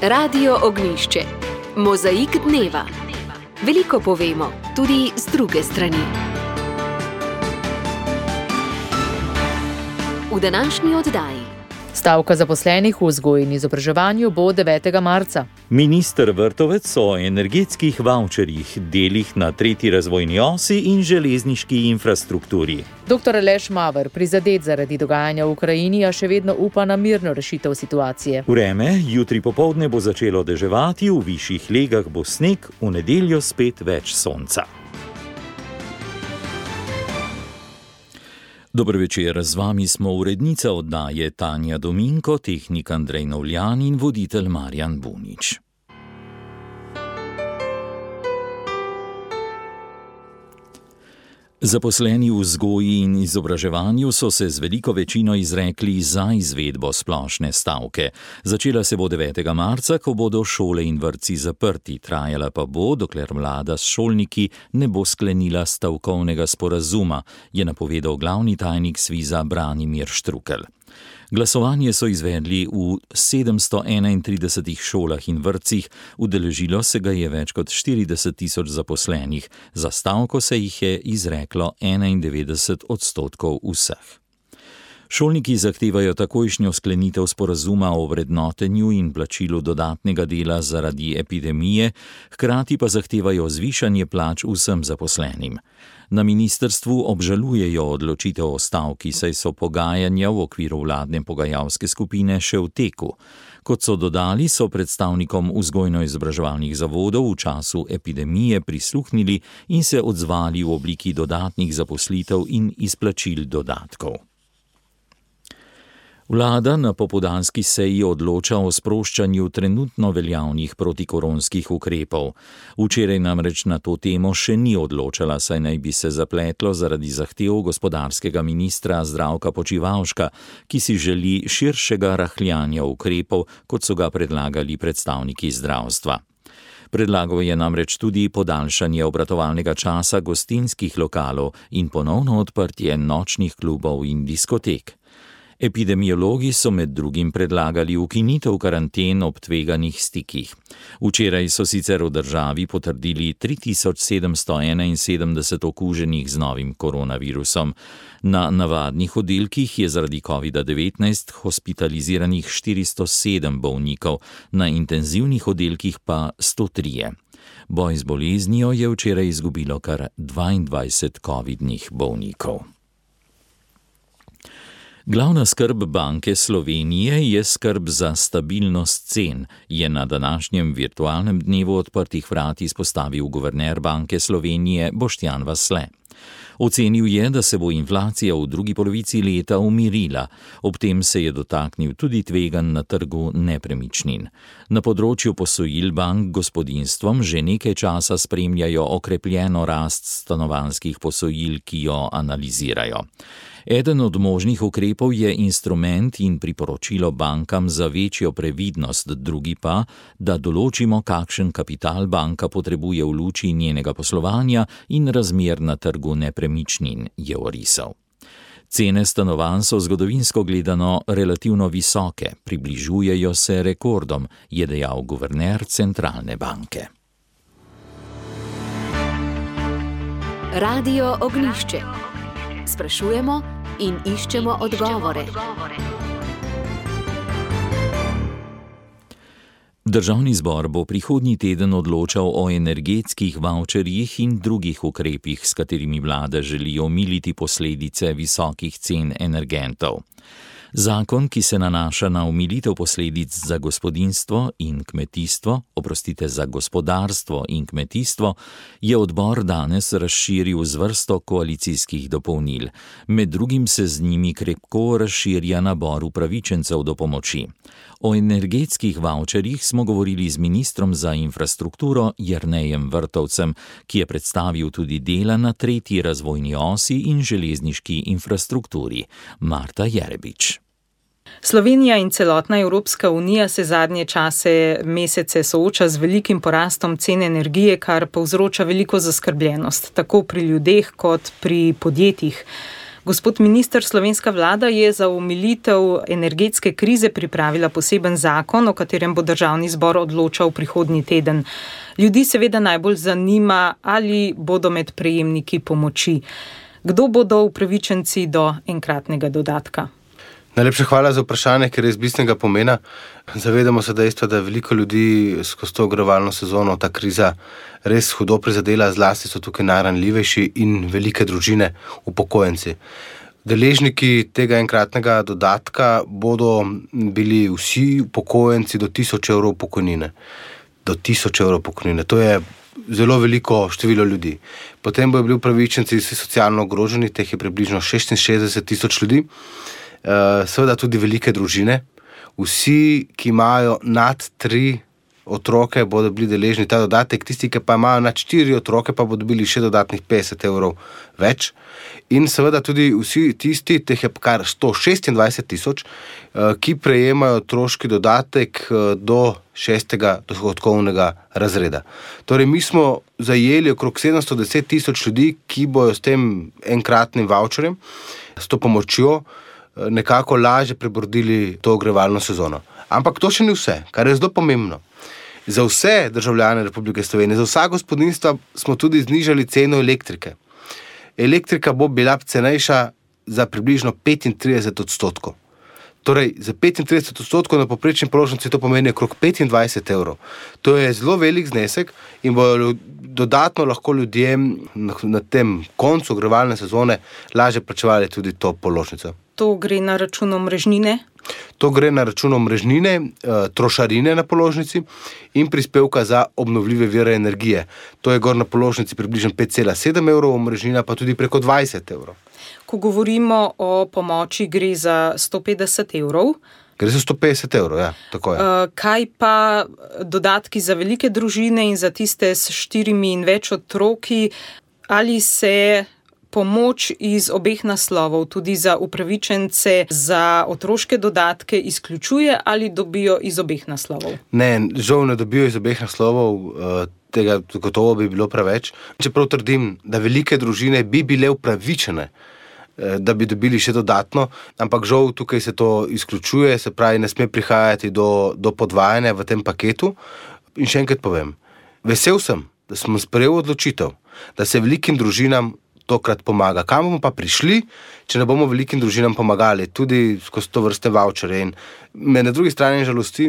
Radio Ognjišče. Mozaik dneva. Veliko povemo, tudi z druge strani. V današnji oddaji. Stavka zaposlenih v vzgoji in izobraževanju bo 9. marca. Minister Vrtovec o energetskih vavčerjih, delih na 3. razvojni osi in železniški infrastrukturi. Dr. Aleš Maver, prizadet zaradi dogajanja v Ukrajini, a še vedno upa na mirno rešitev situacije. Vreme, jutri popoldne bo začelo deževati, v višjih legah bo sneg, v nedeljo spet več sonca. Dober večer, z vami smo urednica oddaje Tanja Dominko, tehnik Andrej Novljan in voditelj Marjan Bunič. Zaposleni v vzgoji in izobraževanju so se z veliko večino izrekli za izvedbo splošne stavke. Začela se bo 9. marca, ko bodo šole in vrtci zaprti, trajala pa bo, dokler vlada s šolniki ne bo sklenila stavkovnega sporazuma, je napovedal glavni tajnik Sviza Branimir Štrukelj. Glasovanje so izvedli v 731 šolah in vrtcih, udeležilo se ga je več kot 40.000 zaposlenih, za stavko se jih je izreklo 91% vseh. Šolniki zahtevajo takojšnjo sklenitev sporazuma o vrednotenju in plačilu dodatnega dela zaradi epidemije, hkrati pa zahtevajo zvišanje plač vsem zaposlenim. Na ministrstvu obžalujejo odločitev o stavki, saj so pogajanja v okviru vladne pogajalske skupine še v teku. Kot so dodali, so predstavnikom vzgojno-izobraževalnih zavodov v času epidemije prisluhnili in se odzvali v obliki dodatnih zaposlitev in izplačil dodatkov. Vlada na popoldanski seji odloča o sproščanju trenutno veljavnih protikoronskih ukrepov. Včeraj namreč na to temo še ni odločala, saj naj bi se zapletlo zaradi zahtev gospodarskega ministra Zdravka Počivalška, ki si želi širšega rahljanja ukrepov, kot so ga predlagali predstavniki zdravstva. Predlagal je namreč tudi podaljšanje obratovalnega časa gostinskih lokalov in ponovno odprtje nočnih klubov in diskotek. Epidemiologi so med drugim predlagali ukinitev karanten ob tveganih stikih. Včeraj so sicer v državi potrdili 3771 okuženih z novim koronavirusom. Na navadnih oddelkih je zaradi COVID-19 hospitaliziranih 407 bolnikov, na intenzivnih oddelkih pa 103. Boj z boleznijo je včeraj izgubilo kar 22 covidnih bolnikov. Glavna skrb Banke Slovenije je skrb za stabilnost cen, je na današnjem virtualnem dnevu odprtih vrat izpostavil guverner Banke Slovenije Boštjan Vasle. Ocenil je, da se bo inflacija v drugi polovici leta umirila, ob tem se je dotaknil tudi tveganj na trgu nepremičnin. Na področju posojil bank gospodinjstvom že nekaj časa spremljajo okrepljeno rast stanovanjskih posojil, ki jo analizirajo. Eden od možnih ukrepov je instrument in priporočilo bankam za večjo previdnost, drugi pa, da določimo, kakšen kapital banka potrebuje v luči njenega poslovanja in razmer na trgu nepremičnin, je orisal. Cene stanovanj so zgodovinsko gledano relativno visoke, približujejo se rekordom, je dejal guverner centralne banke. Radio Ognjišče. Sprašujemo in iščemo odgovore. Državni zbor bo prihodnji teden odločal o energetskih vavčerjih in drugih ukrepih, s katerimi vlada želi omiliti posledice visokih cen energentov. Zakon, ki se nanaša na omilitev posledic za gospodinjstvo in kmetijstvo, za gospodarstvo in kmetijstvo, je odbor danes razširil z vrsto koalicijskih dopolnil. Med drugim se z njimi krepko razširja nabor upravičencev do pomoči. O energetskih vavčerjih smo govorili z ministrom za infrastrukturo Jernejem Vrtovcem, ki je predstavil tudi dela na 3. razvojni osi in železniški infrastrukturi. Marta Jerebič. Slovenija in celotna Evropska unija se zadnje mesece sooča z velikim porastom cen energije, kar povzroča veliko zaskrbljenost, tako pri ljudeh kot pri podjetjih. Gospod minister, slovenska vlada je za omilitev energetske krize pripravila poseben zakon, o katerem bo državni zbor odločal prihodnji teden. Ljudi seveda najbolj zanima, ali bodo med prejemniki pomoči. Kdo bodo upravičenci do enkratnega dodatka? Najlepša hvala za vprašanje, ker je iz bistvenega pomena. Zavedamo se dejstva, da veliko ljudi skozi to ogrevalno sezono ta kriza res hudo prizadela, zlasti so tukaj najranljivejši in velike družine, upokojenci. Deležniki tega enkratnega dodatka bodo bili vsi upokojenci do 1000 evrov pokojnine. Do 1000 evrov pokojnine. To je zelo veliko število ljudi. Potem bodo bili upravičenci vsi socialno ogroženi, teh je približno 66 000 ljudi. Seveda tudi velike družine. Vsi, ki imajo nad 3 otroke, bodo bili deležni ta dodatek. Tisti, ki pa imajo nad 4 otroke, pa bodo dobili še dodatnih 50 evrov več. In seveda tudi vsi tisti, teh je kar 126 000, ki prejemajo otroški dodatek do 6. dohodkovnega razreda. Torej, mi smo zajeli okrog 710 000 ljudi, ki bojo s tem enkratnim vavčerjem, s to pomočjo, nekako lažje prebrodili to ogrevalno sezono. Ampak to še ni vse, kar je zelo pomembno. Za vse državljane Republike Slovenije, za vsa gospodinjstva smo tudi znižali ceno elektrike. Elektrika bo bila cenejša za približno 35%. Torej, za 35% na povprečni položnici to pomeni okrog 25 evrov. To je zelo velik znesek in bodo dodatno lahko ljudje na tem koncu ogrevalne sezone lažje plačevali tudi to položnico. To gre na račun omrežnine? To gre na račun omrežnine, trošarine na položnici in prispevka za obnovljive vire energije. To je gor na položnici približno 5,7 evrov, omrežnina pa tudi preko 20 evrov. Ko govorimo o pomoči, gre za 150 evrov. Gre za 150 evrov, ja, tako je. Kaj pa dodatki za velike družine in za tiste s 4 in več otroki? Ali se pomoč iz obeh naslovov, tudi za upravičence za otroške dodatke, izključuje ali dobijo iz obeh naslovov? Ne, žal ne dobijo iz obeh naslovov, tega gotovo bi bilo preveč. Čeprav trdim, da velike družine bi bile upravičene, da bi dobili še dodatno, ampak žal tukaj se to izključuje, se pravi, ne sme prihajati do podvajanja v tem paketu. In še enkrat povem, vesel sem, da smo sprejeli odločitev, da se velikim družinam tokrat pomaga. Kam bomo pa prišli, če ne bomo velikim družinam pomagali, tudi skozi to vrste vaučere. In me na drugi strani žalosti,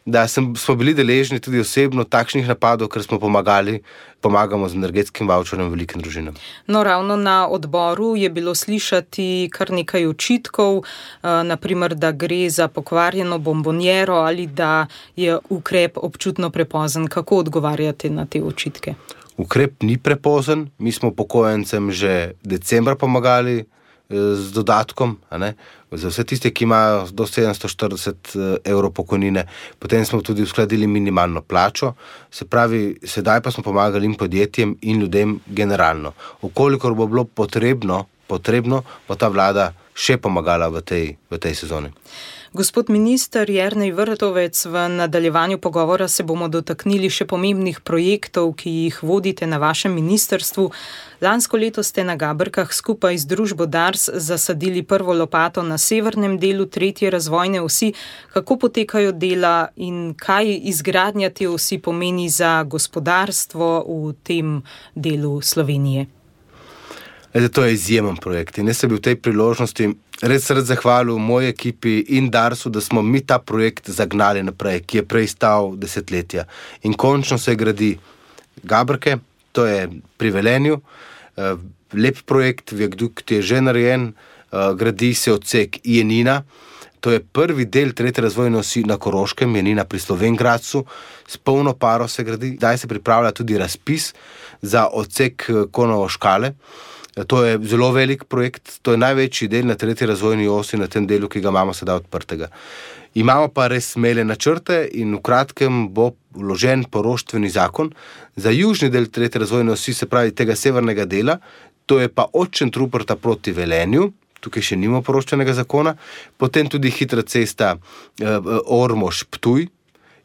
da smo bili deležni tudi osebno takšnih napadov, ker smo pomagamo z energetskim vaučerjem velikim družinam. No, ravno na odboru je bilo slišati kar nekaj očitkov, naprimer, da gre za pokvarjeno bombonjero ali da je ukrep občutno prepozen. Kako odgovarjate na te očitke? Ukrep ni prepozen, mi smo upokojencem že decembra pomagali z dodatkom, za vse tiste, ki imajo do 740 evrov pokojnine. Potem smo tudi uskladili minimalno plačo, se pravi, sedaj pa smo pomagali in podjetjem in ljudem generalno. Okolikor bo bilo potrebno, bo ta vlada še pomagala v tej sezoni. Gospod minister Jernej Vrtovec, v nadaljevanju pogovora se bomo dotaknili še pomembnih projektov, ki jih vodite na vašem ministrstvu. Lansko leto ste na Gaberkah skupaj z družbo Dars zasadili prvo lopato na severnem delu 3. razvojne osi. Kako potekajo dela in kaj izgradnja te osi pomeni za gospodarstvo v tem delu Slovenije? To je izjemen projekt in jaz se bi v tej priložnosti res rad zahvalil moji ekipi in Darsu, da smo mi ta projekt zagnali naprej, ki je prej stal desetletja. In končno se gradi Gaberke, to je pri Velenju, lep projekt, viadukt je že narejen, gradi se odsek Jenina, to je prvi del 3. razvojne osi na Koroškem, Jenina pri Slovenj Gradcu, s polno paro se gradi, zdaj se pripravlja tudi razpis za odsek Konovo-Škale. To je zelo velik projekt, to je največji del na 3. razvojni osi na tem delu, ki ga imamo sedaj odprtega. Imamo pa res smele načrte in v kratkem bo vložen poroštveni zakon za južni del 3. razvojne osi, se pravi tega severnega dela, to je pa od Šentruperta proti Velenju, tukaj še nima poroštvenega zakona, potem tudi hitra cesta Ormož-Ptuj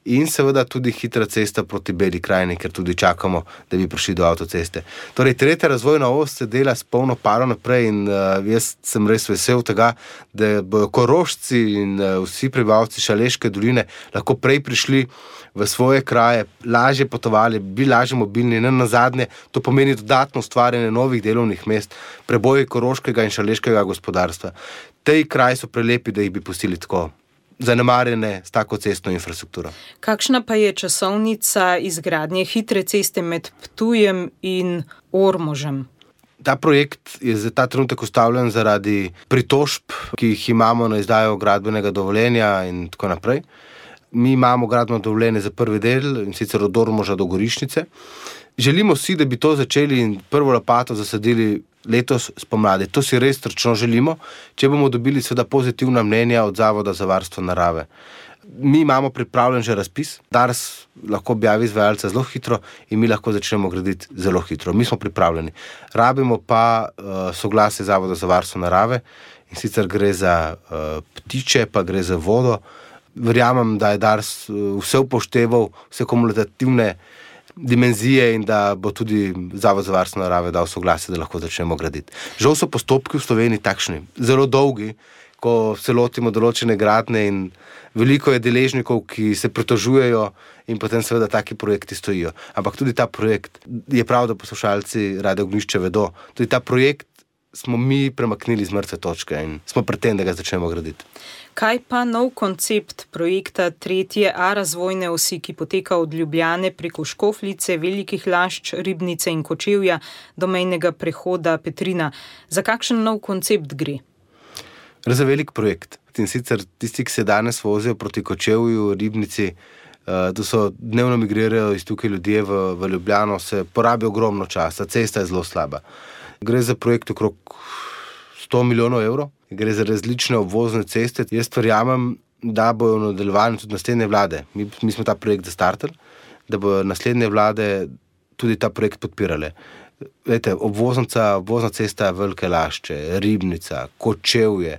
in seveda tudi hitra cesta proti Beli krajini, ker tudi čakamo, da bi prišli do avtoceste. Torej, tretja razvojna os se dela s polno paro naprej in jaz sem res vesel tega, da bojo Korošci in vsi prebivalci Šaleške doline lahko prej prišli v svoje kraje, lažje potovali, bili lažje mobilni, in nazadnje to pomeni dodatno ustvarjanje novih delovnih mest, preboj koroškega in šaleškega gospodarstva. Tej kraji so prelepi, da jih bi pustili tako zanemarjene s tako cestno infrastrukturo. Kakšna pa je časovnica izgradnje hitre ceste med Ptujem in Ormožem? Ta projekt je za ta trenutek ustavljen zaradi pritožb, ki jih imamo na izdajo gradbenega dovoljenja in tako naprej. Mi imamo gradbeno dovoljenje za prvi del, in sicer od Ormoža do Gorišnice. Želimo si, da bi to začeli in prvo lopato zasadili letos spomladi. To si res srčno želimo, če bomo dobili seveda pozitivna mnenja od Zavoda za varstvo narave. Mi imamo pripravljen že razpis, Dars lahko objavi izvajalca zelo hitro in mi lahko začnemo graditi zelo hitro. Mi smo pripravljeni. Rabimo pa soglasje Zavoda za varstvo narave, in sicer gre za ptiče, pa gre za vodo. Verjamem, da je Dars vse upošteval, vse kumulativne dimenzije in da bo tudi Zavod za varstvo narave dal soglasje, da lahko začnemo graditi. Žal so postopki v Sloveniji takšni, zelo dolgi, ko se lotimo določene gradnje in veliko je deležnikov, ki se pritožujejo in potem seveda taki projekti stojijo. Ampak tudi ta projekt, je prav, da poslušalci Radio Ognjišče vedo, tudi ta projekt smo mi premaknili z mrtve točke in smo pred tem, da ga začnemo graditi. Kaj pa nov koncept projekta 3A razvojne osi, ki poteka od Ljubljane preko Škofljice, Velikih Lašč, Ribnice in Kočevja do mejnega prehoda Petrina? Za kakšen nov koncept gre? Gre za velik projekt. In sicer tisti, ki se danes vozijo proti Kočevju, Ribnici, to so dnevno migrirajo iz tukaj ljudje v Ljubljano, se porabi ogromno časa, cesta je zelo slaba. Gre za projekt okrog 100 milijonov evrov, gre za različne obvozne ceste. Jaz verjamem, da bojo nadaljevali tudi naslednje vlade. Mi smo ta projekt zastartali, da bojo naslednje vlade tudi ta projekt podpirale. Vete, obvozna cesta Velike Lašče, Ribnica, Kočevje,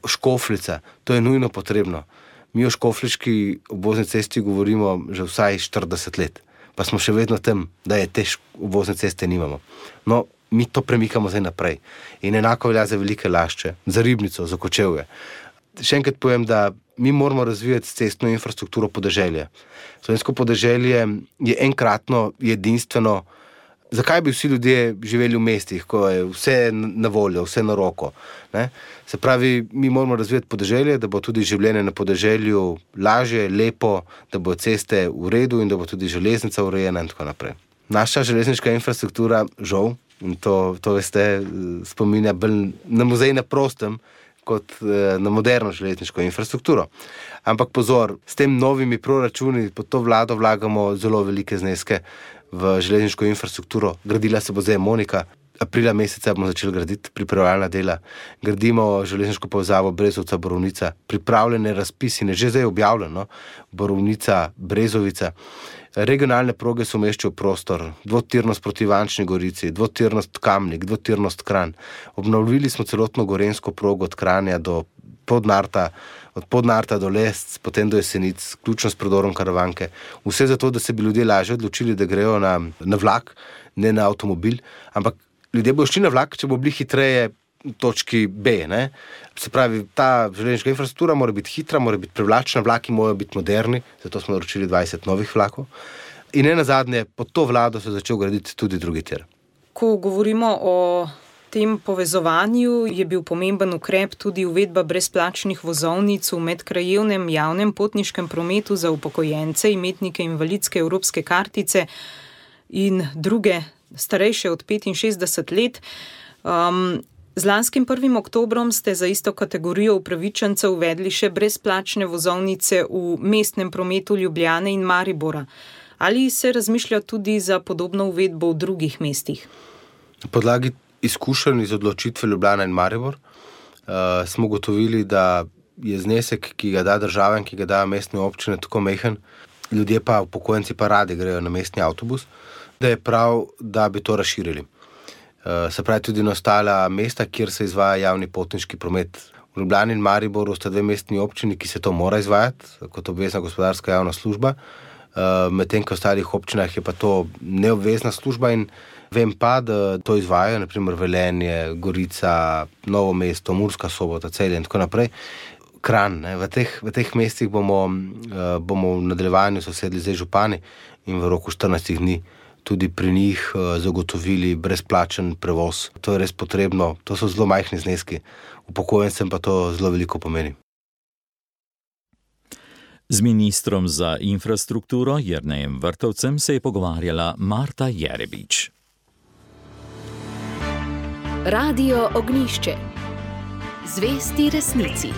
Škofljica, to je nujno potrebno. Mi o škofliški obvozni cesti govorimo že vsaj 40 let, pa smo še vedno tam, da je te obvozne ceste nimamo. No, mi to premikamo zdaj naprej. In enako velja za Velike Lašče, za Ribnico, za Kočevje. Še enkrat povem, da mi moramo razvijati cestno infrastrukturo podeželja. Slovensko podeželje je enkratno, edinstveno. Zakaj bi vsi ljudje živeli v mestih, ko je vse na voljo, vse na roko? Ne? Se pravi, mi moramo razvijati podeželje, da bo tudi življenje na podeželju lažje, lepo, da bo ceste v redu in da bo tudi železnica urejena in tako naprej. Naša železniška infrastruktura, žal, in to veste, spominja bolj na muzej na prostem, kot na moderno železniško infrastrukturo. Ampak pozor, s tem novimi proračuni pod to vlado vlagamo zelo velike zneske v železniško infrastrukturo. Gradila se bo zdaj Monika, aprila meseca bomo začeli graditi pripravljalna dela. Gradimo železniško povezavo Brezovca-Borovnica, pripravljene razpisi, že zdaj objavljeno, Borovnica-Brezovica. Regionalne proge se umeščajo v prostor, dvotirnost proti Ivančni Gorici, dvotirnost Kamnik, dvotirnost Kranj. Obnovili smo celotno gorenjsko progo od Kranja do Podnarta, od Podnarta do Lesc, potem do Jesenic, vključno s predorom Karavanke. Vse zato, da se bi ljudje lažje odločili, da grejo na vlak, ne na avtomobil, ampak ljudje bodo šli na vlak, če bo bili hitreje v točki B. Ne? Se pravi, ta železniška infrastruktura mora biti hitra, mora biti privlačna, vlaki morajo biti moderni, zato smo naročili 20 novih vlakov. In nenazadnje, pod to vlado se je začel graditi tudi drugi tir. Ko govorimo o tem povezovanju, je bil pomemben ukrep tudi uvedba brezplačnih vozovnic v medkrajevnem javnem potniškem prometu za upokojence, imetnike invalidske evropske kartice in druge starejše od 65 let. Z lanskim 1. oktobrom ste za isto kategorijo upravičencev uvedli še brezplačne vozovnice v mestnem prometu Ljubljane in Maribora. Ali se razmišlja tudi za podobno uvedbo v drugih mestih? Na podlagi izkušenj iz odločitve Ljubljana in Maribor smo ugotovili, da je znesek, ki ga da država in ki ga da mestne občine, tako majhen, ljudje pa, upokojenci pa radi grejo na mestni avtobus, da je prav, da bi to razširili. Se pravi tudi na ostala mesta, kjer se izvaja javni potniški promet. V Ljubljani in Mariboru sta 2 mestni občini, ki se to mora izvajati kot obvezna gospodarska javna služba, medtem ko v ostalih občinah je pa to neobvezna služba in vem pa, da to izvajajo, naprimer Velenje, Gorica, Novo mesto, Murska Sobota, Celje in tako naprej. Kranj, v teh mestih bomo v nadaljevanju sosedli zdaj župani in v roku 14 dni tudi pri njih zagotovili brezplačen prevoz. To je res potrebno, to so zelo majhni zneski, upokojencem pa to zelo veliko pomeni. Z ministrom za infrastrukturo Jernejem Vrtovcem se je pogovarjala Marta Jerebič. Radio Ognjišče. Zvesti resnici.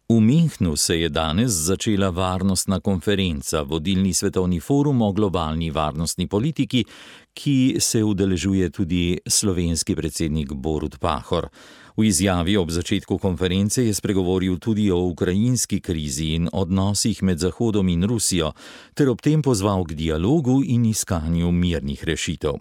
V Münchnu se je danes začela varnostna konferenca, vodilni svetovni forum o globalni varnostni politiki, ki se udeležuje tudi slovenski predsednik Borut Pahor. V izjavi ob začetku konference je spregovoril tudi o ukrajinski krizi in odnosih med Zahodom in Rusijo, ter ob tem pozval k dialogu in iskanju mirnih rešitev.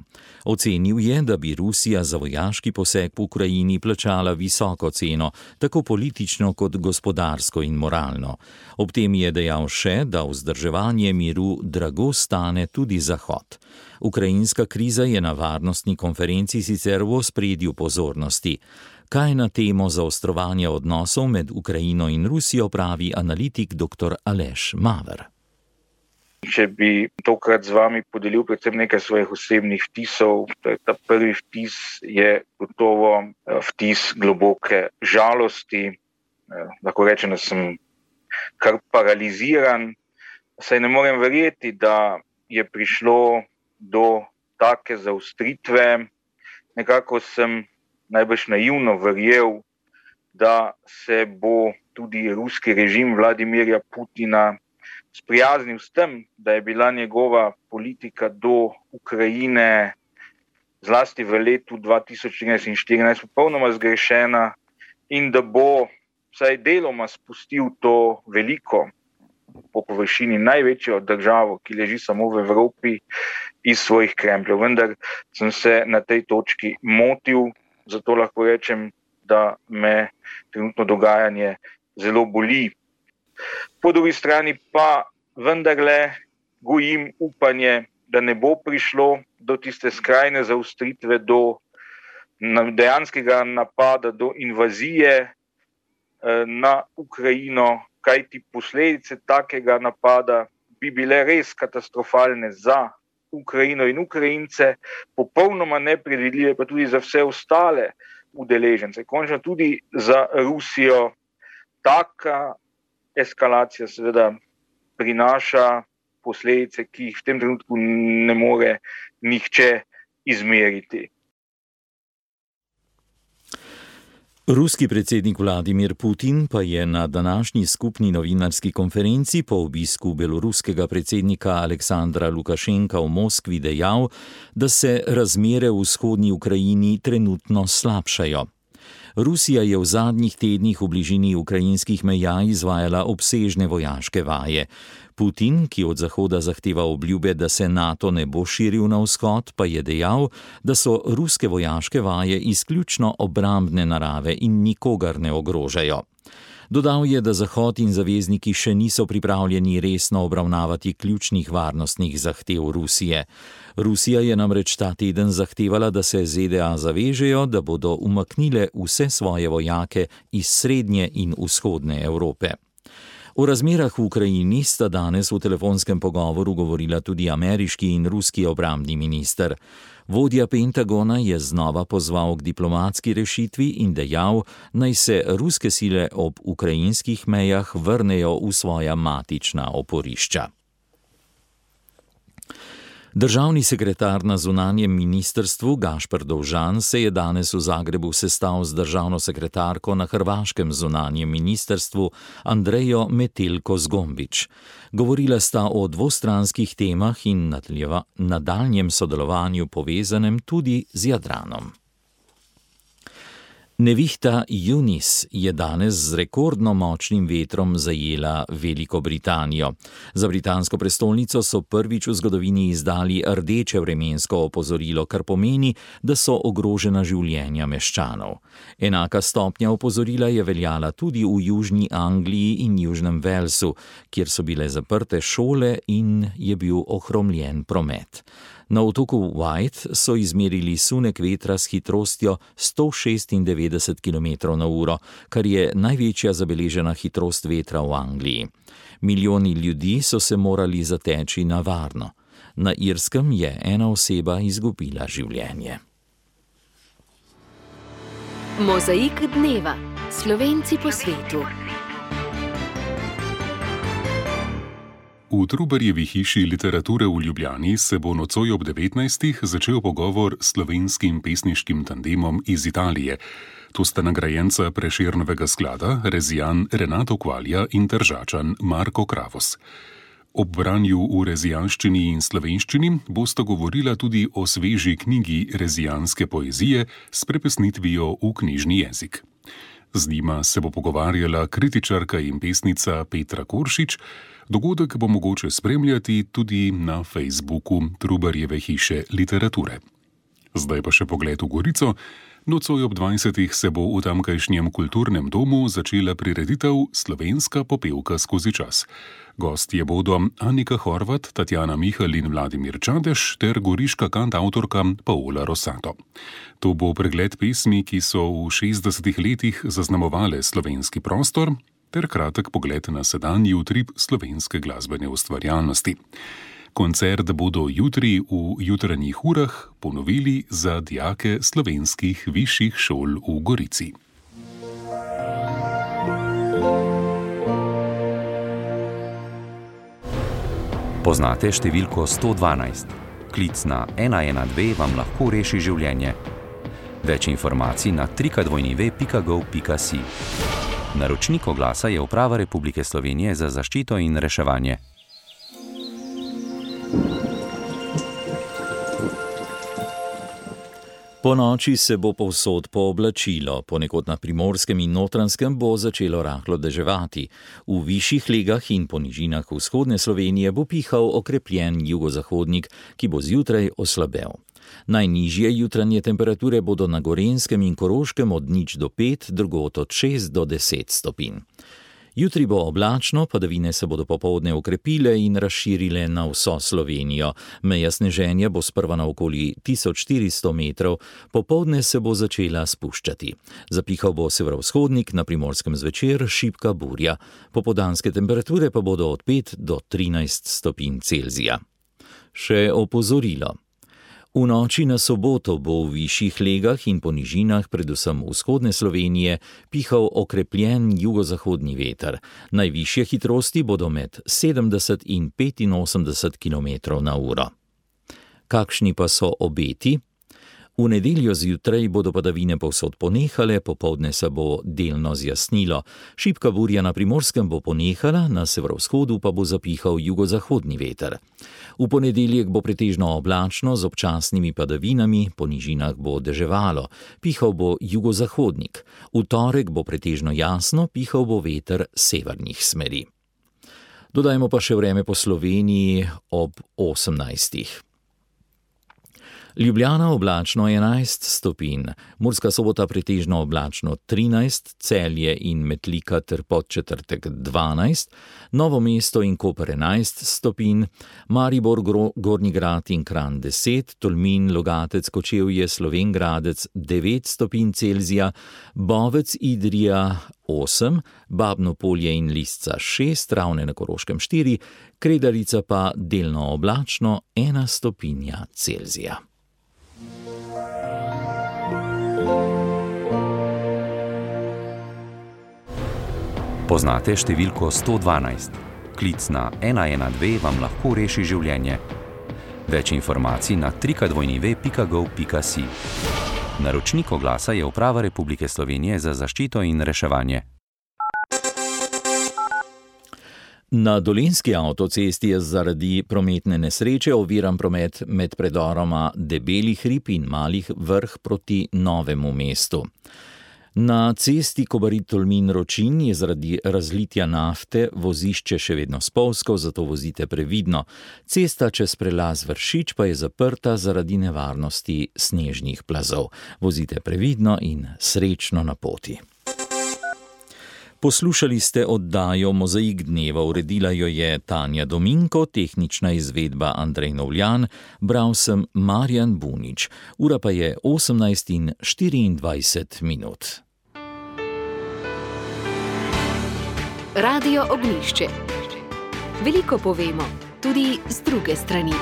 Ocenil je, da bi Rusija za vojaški poseg v Ukrajini plačala visoko ceno, tako politično kot gospodarsko in moralno. Ob tem je dejal še, da vzdrževanje miru drago stane tudi Zahod. Ukrajinska kriza je na varnostni konferenci sicer v ospredju pozornosti. Kaj na temo zaostrovanja odnosov med Ukrajino in Rusijo pravi analitik dr. Aleš Maver. Če bi tokrat z vami podelil predvsem nekaj svojih osebnih vtisov, ta prvi vtis je gotovo vtis globoke žalosti. Lahko rečem, da sem kar paraliziran, saj ne morem verjeti, da je prišlo do take zaostritve. Nekako sem najbrž naivno verjel, da se bo tudi ruski režim Vladimirja Putina sprijaznil s tem, da je bila njegova politika do Ukrajine zlasti v letu 2013 in 2014 popolnoma zgrešena in da bo vsaj deloma spustil to veliko, po površini največjo državo, ki leži samo v Evropi, iz svojih krempljev. Vendar sem se na tej točki motil, zato lahko rečem, da me trenutno dogajanje zelo boli. Po drugi strani pa vendarle gojim upanje, da ne bo prišlo do tiste skrajne zaostritve, do dejanskega napada, do invazije na Ukrajino, kajti posledice takega napada bi bile res katastrofalne za Ukrajino in Ukrajince, popolnoma nepredvidljive pa tudi za vse ostale udeležence. Končno tudi za Rusijo. Taka eskalacija seveda prinaša posledice, ki jih v tem trenutku ne more nihče izmeriti. Ruski predsednik Vladimir Putin pa je na današnji skupni novinarski konferenci po obisku beloruskega predsednika Aleksandra Lukašenka v Moskvi dejal, da se razmere v vzhodni Ukrajini trenutno slabšajo. Rusija je v zadnjih tednih v bližini ukrajinskih meja izvajala obsežne vojaške vaje. Putin, ki od Zahoda zahteva obljube, da se NATO ne bo širil na vzhod, pa je dejal, da so ruske vojaške vaje izključno obrambne narave in nikogar ne ogrožajo. Dodal je, da Zahod in zavezniki še niso pripravljeni resno obravnavati ključnih varnostnih zahtev Rusije. Rusija je namreč ta teden zahtevala, da se ZDA zavežejo, da bodo umaknile vse svoje vojake iz srednje in vzhodne Evrope. O razmerah v Ukrajini sta danes v telefonskem pogovoru govorila tudi ameriški in ruski obrambni minister. Vodja Pentagona je znova pozval k diplomatski rešitvi in dejal, naj se ruske sile ob ukrajinskih mejah vrnejo v svoja matična oporišča. Državni sekretar na zunanjem ministrstvu Gašper Dovžan se je danes v Zagrebu sestal z državno sekretarko na hrvaškem zunanjem ministrstvu Andrejo Metelko Zgombić. Govorila sta o dvostranskih temah in nadaljnjem sodelovanju povezanem tudi z Jadranom. Nevihta Eunice je danes z rekordno močnim vetrom zajela Veliko Britanijo. Za britansko prestolnico so prvič v zgodovini izdali rdeče vremensko opozorilo, kar pomeni, da so ogrožena življenja meščanov. Enaka stopnja opozorila je veljala tudi v Južni Angliji in Južnem Walesu, kjer so bile zaprte šole in je bil ohromljen promet. Na otoku White so izmerili sunek vetra s hitrostjo 196 km/h, kar je največja zabeležena hitrost vetra v Angliji. Milijoni ljudi so se morali zateči na varno. Na Irskem je ena oseba izgubila življenje. Mozaik dneva. Slovenci po svetu. V Trubarjevi hiši literature v Ljubljani se bo nocoj ob 19. začel pogovor s slovenskim pesniškim tandemom iz Italije. To sta nagrajenca Prešernovega sklada, rezijan Renato Kvalja in Tržačan Marko Kravos. Ob branju v rezijanščini in slovenščini bosta govorila tudi o sveži knjigi rezijanske poezije s prepesnitvijo v knjižni jezik. Z njima se bo pogovarjala kritičarka in pesnica Petra Koršič. Dogodek bo mogoče spremljati tudi na Facebooku Trubarjeve hiše literature. Zdaj pa še pogled v Gorico. Nocoj ob 20. se bo v tamkajšnjem kulturnem domu začela prireditev Slovenska popevka skozi čas. Gostje bodo Anika Horvat, Tatjana Mihal in Vladimir Čadež ter goriška kantavtorka Paola Rosato. To bo pregled pesmi, ki so v 60. letih zaznamovale slovenski prostor, ter kratek pogled na sedanji utrip slovenske glasbene ustvarjalnosti. Koncert bodo jutri v jutranjih urah ponovili za dijake slovenskih višjih šol v Gorici. Poznate številko 112? Klic na 112 vam lahko reši življenje. Več informacij na www.gov.si. Naročnik oglasa je Uprava Republike Slovenije za zaščito in reševanje. Po noči se bo povsod pooblačilo, ponekod na Primorskem in Notranjskem bo začelo rahlo deževati. V višjih legah in po nižinah vzhodne Slovenije bo pihal okrepljen jugozahodnik, ki bo zjutraj oslabel. Najnižje jutranje temperature bodo na Gorenjskem in Koroškem od 0 do 5, drugod od 6 do 10 stopinj. Jutri bo oblačno, padavine se bodo popoldne okrepile in razširile na vso Slovenijo. Meja sneženja bo sprva na okoli 1400 metrov, popoldne se bo začela spuščati. Zapihal bo severovzhodnik, na Primorskem zvečer šibka burja. Popoldanske temperature pa bodo od 5 do 13 stopinj Celzija. Še opozorilo. V noči na soboto bo v višjih legah in po nižinah, predvsem vzhodne Slovenije, pihal okrepljen jugozahodni veter. Najvišje hitrosti bodo med 70 in 85 km/h. Kakšni pa so obeti? V nedeljo zjutraj bodo padavine povsod ponehale, popoldne se bo delno zjasnilo. Šibka burja na Primorskem bo ponehala, na severovzhodu pa bo zapihal jugozahodni veter. V ponedeljek bo pretežno oblačno z občasnimi padavinami, po nižinah bo deževalo, pihal bo jugozahodnik. V torek bo pretežno jasno, pihal bo veter severnih smeri. Dodajmo pa še vreme po Sloveniji ob 18. Ljubljana oblačno 11 stopinj, Murska Sobota pretežno oblačno 13, Celje in Metlika ter Podčetrtek 12, Novo mesto in Koper 11 stopinj, Maribor, Gornji Grad in Kranj 10, Tolmin, Logatec, Kočevje, Slovenj Gradec 9 stopinj Celzija, Bovec, Idrija 8, Babno Polje in Lisca 6, Ravne na Koroškem 4, Kredarica pa delno oblačno 1 stopinja Celzija. Poznate številko 112? Klic na 112 vam lahko reši življenje. Več informacij na www.gov.si. Naročnik oglasa je Uprava Republike Slovenije za zaščito in reševanje. Na Dolenjski avtocesti je zaradi prometne nesreče oviran promet med predoroma Debeli hrib in Malih Vrh proti Novemu mestu. Na cesti Kobarid-Tolmin-Ročin je zaradi razlitja nafte vozišče še vedno spolzko, zato vozite previdno. Cesta čez prelaz Vršič pa je zaprta zaradi nevarnosti snežnih plazov. Vozite previdno in srečno na poti. Poslušali ste oddajo Mozaik dneva, uredila jo je Tanja Dominko, tehnična izvedba Andrej Novljan, bral sem Marjan Bunič. Ura pa je 18:24. Radio Ognjišče. Veliko povemo, tudi z druge strani.